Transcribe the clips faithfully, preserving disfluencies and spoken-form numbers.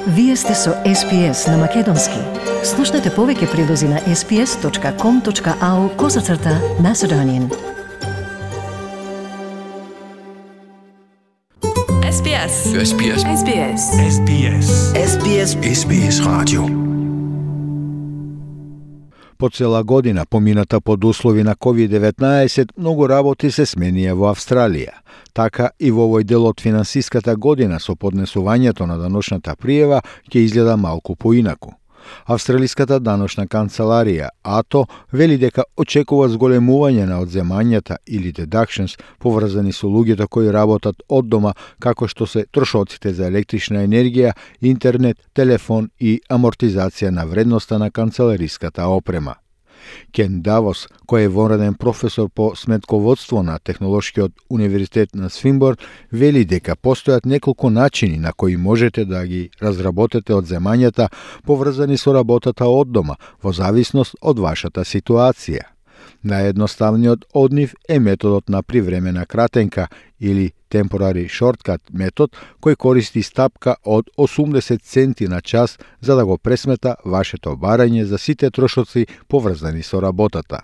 Вие сте со Ес Би Ес на Македонски. Слушнете повеќе прилози на ес би ес точка ком точка ау козацрта Macedonian. Ес Би Ес. Ес Би Ес. Ес Би Ес. Ес Би Ес. Ес Би Ес. Ес Би Ес радио. По цела година, помината под услови на ковид деветнаесет, многу работи се сменија во Австралија. Така и во овој дел од финансиската година со поднесувањето на даночната пријава ќе изгледа малку поинаку. Австралиската даночна канцеларија ей ти о вели дека очекува зголемување на одземањата или deductions поврзани со луѓето кои работат од дома, како што се трошоците за електрична енергија, интернет, телефон и амортизација на вредноста на канцелариската опрема. Кен Давос, кој е вонреден професор по сметководство на Технолошкиот универзитет на Свинборн, вели дека постојат неколку начини на кои можете да ги разработите одземањата поврзани со работата од дома, во зависност од вашата ситуација. Наједноставниот од нив е методот на привремена кратенка или temporary shortcut метод, кој користи стапка од осумдесет центи на час за да го пресмета вашето барање за сите трошоци поврзани со работата.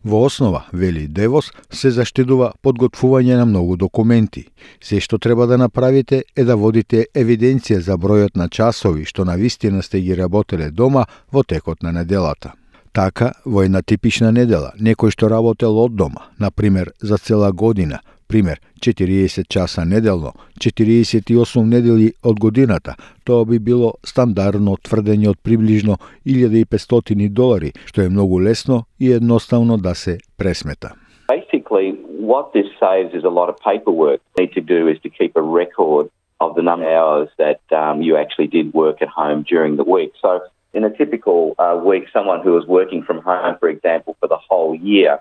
Во основа, вели Девос, се заштедува подготвување на многу документи. Се што треба да направите е да водите евиденција за бројот на часови што навистина сте ги работеле дома во текот на неделата. Така, во една типична недела, некој што работел од дома, например за цела година, пример четириесет часа неделно, четириесет и осум недели од годината, тоа би било стандардно тврдење од приближно илјада и петстотини долари, што е многу лесно и едноставно да се пресмета. Basically, what this saves is a lot of paperwork. What you need to do is to keep a record of the number of hours that um, you actually did work at home during the week. So in a typical uh, week, someone who was working from home, for example, for the whole year,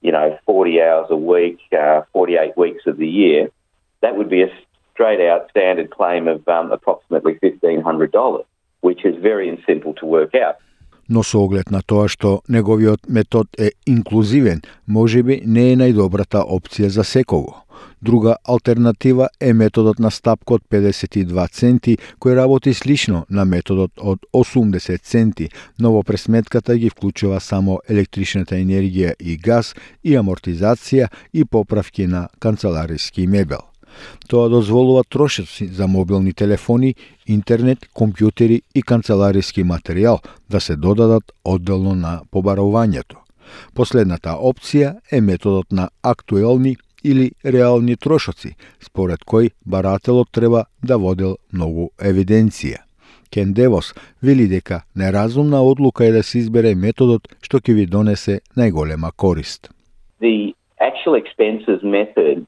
you know, forty hours a week, uh, forty-eight weeks of the year, that would be a straight-out standard claim of um, approximately fifteen hundred dollars, which is very simple to work out. Но со оглед на тоа што неговиот метод е инклузивен, можеби не е најдобрата опција за секого. Друга алтернатива е методот на стапка од педесет и два центи, кој работи слично на методот од осумдесет центи, но во пресметката ги вклучува само електричната енергија и газ и амортизација и поправки на канцелариски мебел. Тоа дозволува трошоци за мобилни телефони, интернет, компјутери и канцелариски материјал да се додадат одделно на побарувањето. Последната опција е методот на актуелни или реални трошоци, според кој барателот треба да водел многу евиденција. Кен Девос вели дека неразумна одлука е да се избере методот што ќе ви донесе најголема корист. The actual expenses method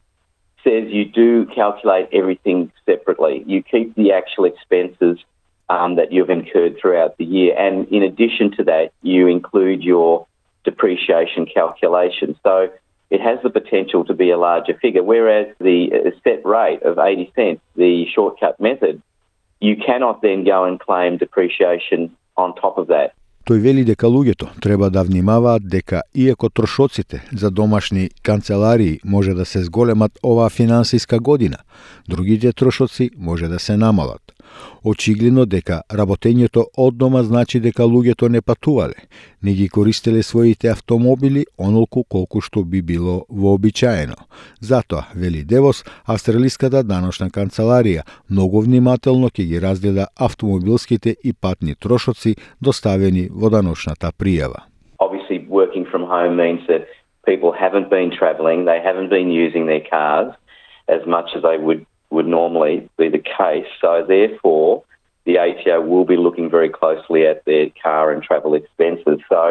says you do calculate everything separately. You keep the actual expenses um, that you've incurred throughout the year, and in addition to that, you include your depreciation calculation. So it has the potential to be a larger figure, whereas the set rate of eighty cents, the shortcut method, you cannot then go and claim depreciation on top of that. Тој вели дека луѓето треба да внимаваат дека иако трошоците за домашни канцеларии може да се зголемат оваа финансиска година, другите трошоци може да се намалат. Очигледно дека работењето од дома значи дека луѓето не патувале, не ги користеле своите автомобили онолку колку што би било вообичаено. Затоа, вели Девос, Австралиската даночна канцеларија многу внимателно ќе ги разгледа автомобилските и патни трошоци доставени во даночната пријава. Obviously, working from home means that people haven't been travelling, they haven't been using their cars as much as they would would normally be the case. So therefore, the A T O will be looking very closely at their car and travel expenses. So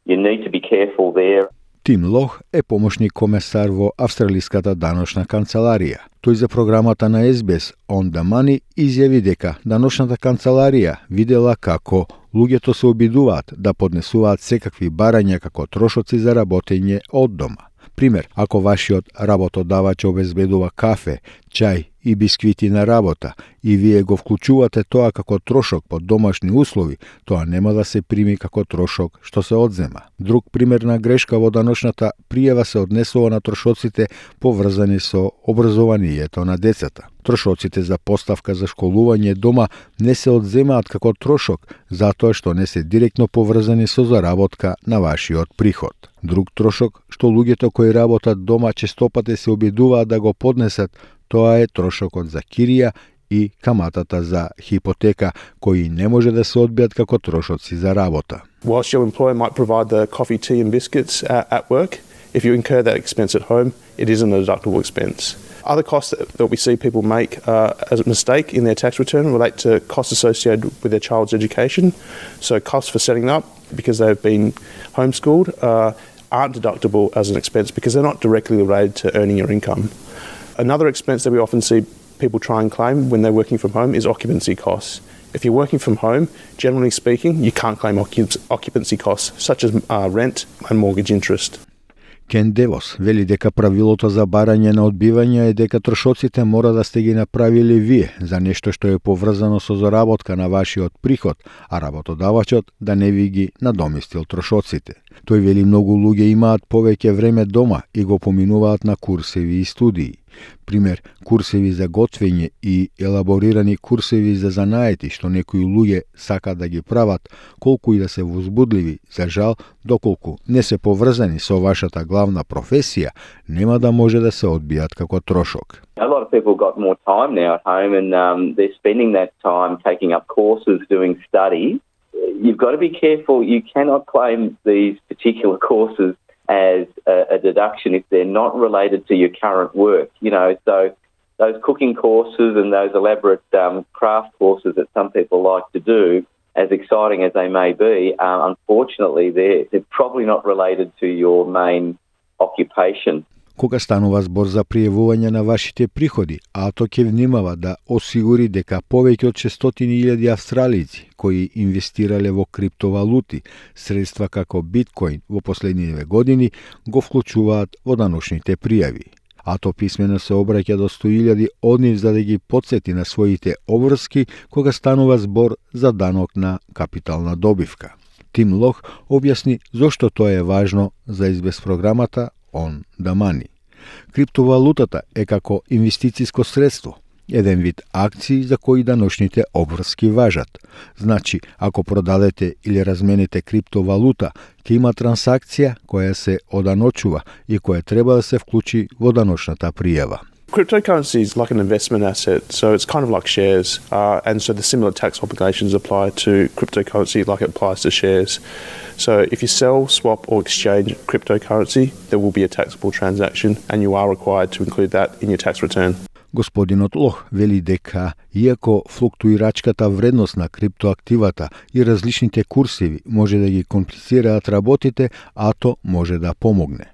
you need to be careful there. Тим Лох е помошник комесар во Австралиската даночна канцеларија. Тој за програмата на Ес Би Ес On the Money изјави дека даночната канцеларија видела како луѓето се обидуваат да поднесуваат секакви барања како трошоци за работење од дома. Пример, ако вашиот работодавач обезбедува кафе, чај и бисквити на работа и вие го вклучувате тоа како трошок под домашни услови, тоа нема да се прими како трошок што се одзема. Друг пример на грешка во даночната пријава се однесува на трошоците поврзани со образованието на децата. Трошоците за поставка за школување дома не се одземаат како трошок, затоа што не се директно поврзани со заработка на вашиот приход. Друг трошок што луѓето кои работат дома честопате се обидуваат да го поднесат, тоа е трошокот за кирија и каматата за хипотека, кои не може да се одбијат како трошоци за работа. Whilst your employer might provide the coffee, tea and biscuits at, at work, if you incur that expense at home, it isn't a deductible expense. Other costs that, that we see people make uh, as a mistake in their tax return relate to costs associated with their child's education. So costs for setting up because they've been homeschooled uh, aren't deductible as an expense because they're not directly related to earning your income. Another expense that we often see people try and claim when they're working from home is occupancy costs. If you're working from home, generally speaking, you can't claim occupancy costs such as uh, rent and mortgage interest. Кен Девос вели дека правилото за барање на одбивање е дека трошоците мора да сте ги направили вие за нешто што е поврзано со заработка на вашиот приход, а работодавачот да не ви ги надоместил трошоците. Тој вели многу луѓе имаат повеќе време дома и го поминуваат на курсеви и студии. Пример, курсеви за готвење и елаборирани курсеви за занаети што некои луѓе сакаат да ги прават, колку и да се возбудливи, за жал, доколку не се поврзани со вашата главна професија, нема да може да се одбијат како трошок. A lot of people got more time now at home and um, they're spending that time taking up courses, doing study. You've got to be careful. You cannot claim these particular courses as a, a deduction if they're not related to your current work. You know, so those cooking courses and those elaborate um, craft courses that some people like to do, as exciting as they may be, uh, unfortunately they're, they're probably not related to your main occupation. Кога станува збор за пријавување на вашите приходи, АТО ќе внимава да осигури дека повеќе од шестстотини илјади австралици кои инвестирале во криптовалути, средства како биткоин во последниве години, го вклучуваат во даночните пријави. АТО писмено се обраќа до сто илјади од нив за да ги потсети на своите обврски кога станува збор за данок на капитална добивка. Тим Лох објасни зошто тоа е важно за ес би ес програмата On the Money. Криптовалутата е како инвестициско средство, еден вид акции за кои даночните обврски важат. Значи, ако продадете или размените криптовалута, ќе има трансакција која се оданочува и која треба да се вклучи во даночната пријава. Cryptocurrency is like an investment asset, so it's kind of like shares, uh, and so the similar tax obligations apply to cryptocurrency like it applies to shares. So if you sell, swap or exchange cryptocurrency, there will be a taxable transaction and you are required to include that in your tax return. Господинот Лох вели дека, иако флуктуирачката вредност на криптоактивата и различните курсеви може да ги комплицираат работите, АТО може да помогне.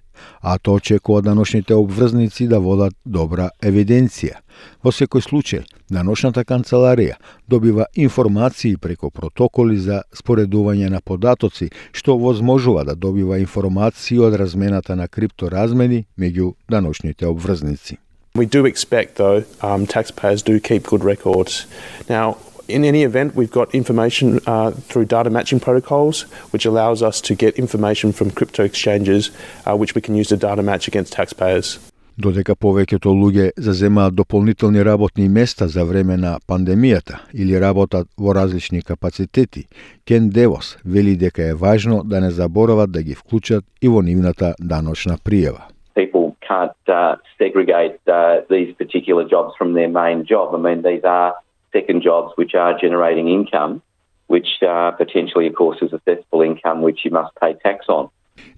АТО очекува даночните обврзници да водат добра евиденција. Во секој случај, даночната канцеларија добива информации преку протоколи за споредување на податоци, што возможува да добива информации од размената на крипторазмени меѓу даночните обврзници. We do expect, though, um, taxpayers do keep good records. Now, in any event, we've got information uh, through data matching protocols, which allows us to get information from crypto exchanges, uh, which we can use to data match against taxpayers. Додека повеќето луѓе заземаат дополнителни работни места за време на пандемијата или работат во различни капацитети, Кен Девос вели дека е важно да не заборават да ги вклучат и во нивната даночна пријава. People can't uh, segregate uh, these particular jobs from their main job. I mean, these are second jobs which are generating income, which uh, potentially, of course, is assessable income which you must pay tax on.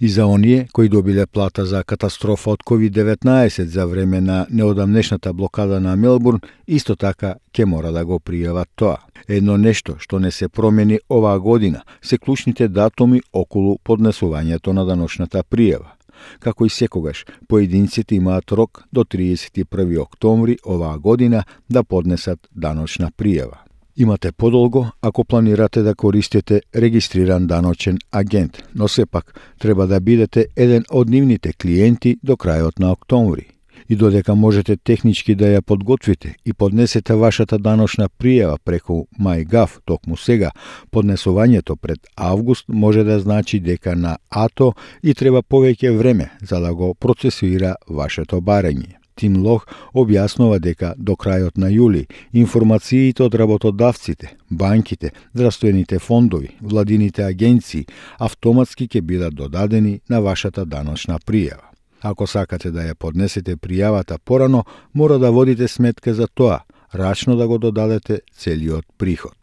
И за оние кои добиле плата за катастрофа од ковид деветнаесет за време на неодамнешната блокада на Мелбурн, исто така ќе мора да го пријават тоа. Едно нешто што не се промени оваа година се клучните датуми околу поднесувањето на даночната пријава. Како и секогаш, поединците имаат рок до триесет и први октомври оваа година да поднесат даночна пријава. Имате подолго ако планирате да користите регистриран даночен агент, но сепак треба да бидете еден од нивните клиенти до крајот на октомври. И додека можете технички да ја подготвите и поднесете вашата даночна пријава преку MyGov токму сега, поднесувањето пред август може да значи дека на АТО и треба повеќе време за да го процесуира вашето барање. Тим Лох објаснува дека до крајот на јули информациите од работодавците, банките, здравствените фондови, владините агенции автоматски ќе бидат додадени на вашата даночна пријава. Ако сакате да ја поднесете пријавата порано, мора да водите сметка за тоа, рачно да го додадете целиот приход.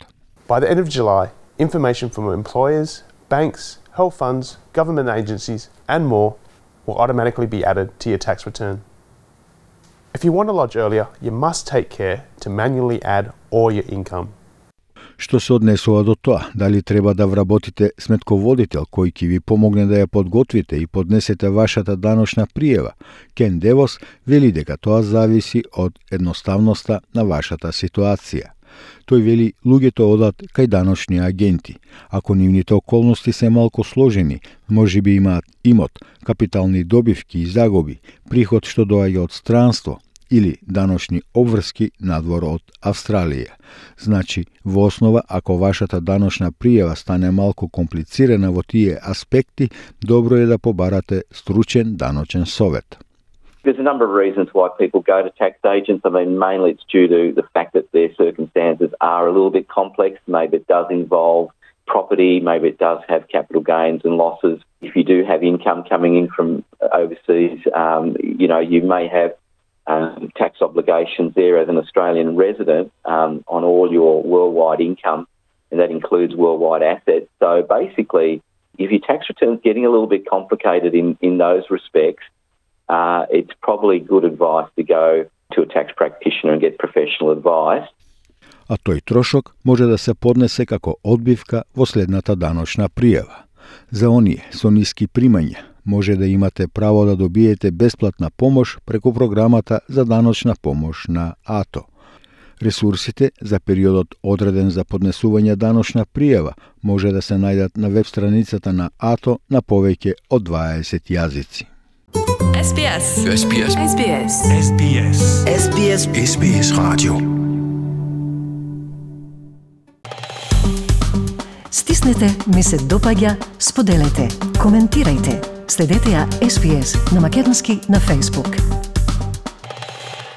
By the end of July, information from employers, banks, health funds, government agencies and more will automatically be added to your tax return. If you want to lodge earlier, you must take care to manually add all your income. Што се однесува до тоа, дали треба да вработите сметководител кој ќе ви помогне да ја подготвите и поднесете вашата даночна пријава, Кен Девос вели дека тоа зависи од едноставноста на вашата ситуација. Тој вели луѓето одат кај даночни агенти. Ако нивните околности се малку сложени, може би имаат имот, капитални добивки и загуби, приход што доаѓа од странство или даночни обврски надвор од Австралија. Значи, во основа, ако вашата даночна пријава стане малку комплицирана во тие аспекти, добро е да побарате стручен даночен совет. There's a number of reasons why people go to tax agents. I mean, mainly it's due to the fact that their circumstances are a little bit complex. Maybe it does involve property, maybe it does have capital gains and losses. If you do have income coming in from overseas, um, you know, you may have um, tax obligations there as an Australian resident um, on all your worldwide income, and that includes worldwide assets. So basically, if your tax return's getting a little bit complicated in, in those respects, Uh, it's probably good advice to go to a tax practitioner and get professional advice. А тој трошок може да се поднесе како одбивка во следната даночна пријава. За оние со ниски примања може да имате право да добиете бесплатна помош преку програмата за даночна помош на АТО. Ресурсите за периодот одреден за поднесување даночна пријава може да се најдат на веб страницата на АТО на повеќе од дваесет јазици. S B S. S B S. S B S. S B S. S B S. S B S Radio. Стиснете, ми се допаѓа, споделете, коментирајте. Следете ја С Б С на македонски на Facebook.